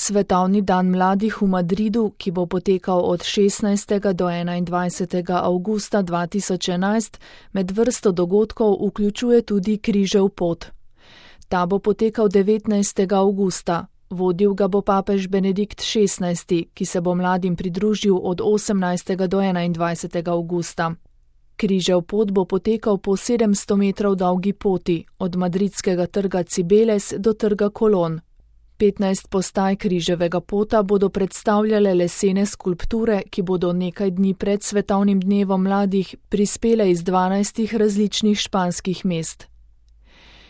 Svetovni dan mladih v Madridu, ki bo potekal od 16. do 21. avgusta 2011, med vrsto dogodkov vključuje tudi Križev pot. Ta bo potekal 19. avgusta. Vodil ga bo papež Benedikt XVI, ki se bo mladim pridružil od 18. do 21. avgusta. Križev pot bo potekal po 700 metrov dolgi poti, od madridskega trga Cibeles do trga Colón. 15 postaj križevega pota bodo predstavljale lesene skulpture, ki bodo nekaj dni pred svetovnim dnevom mladih prispele iz 12 različnih španskih mest.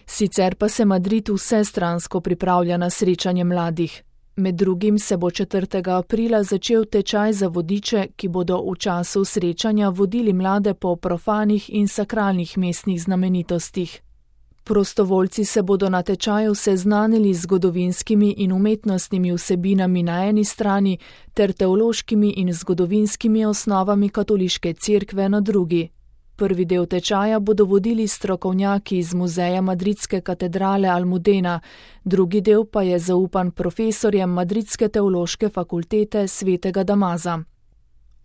Sicer pa se Madrid vsestransko pripravlja na srečanje mladih. Med drugim se bo 4. aprila začel tečaj za vodiče, ki bodo v času srečanja vodili mlade po profanih in sakralnih mestnih znamenitostih. Prostovoljci se bodo na tečaju seznanili z zgodovinskimi in umetnostnimi vsebinami na eni strani ter teološkimi in zgodovinskimi osnovami katoliške cerkve na drugi. Prvi del tečaja bodo vodili strokovnjaki iz muzeja madridske katedrale Almudena, drugi del pa je zaupan profesorjem Madridske teološke fakultete svetega Damaza.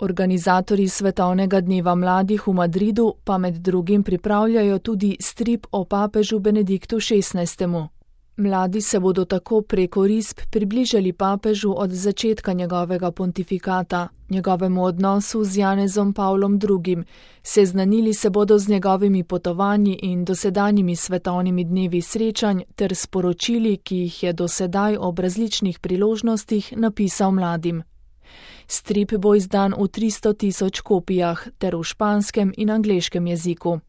Organizatorji Svetovnega dneva mladih v Madridu pa med drugim pripravljajo tudi strip o papežu Benediktu XVI. Mladi se bodo tako preko risb približali papežu od začetka njegovega pontifikata, njegovemu odnosu z Janezom Pavlom II., seznanili se bodo z njegovimi potovanji in dosedanjimi svetovnimi dnevi srečanj ter sporočili, ki jih je dosedaj ob različnih priložnostih napisal mladim. Strip bo izdan v 300 000 kopijah ter v španskem in angleškem jeziku.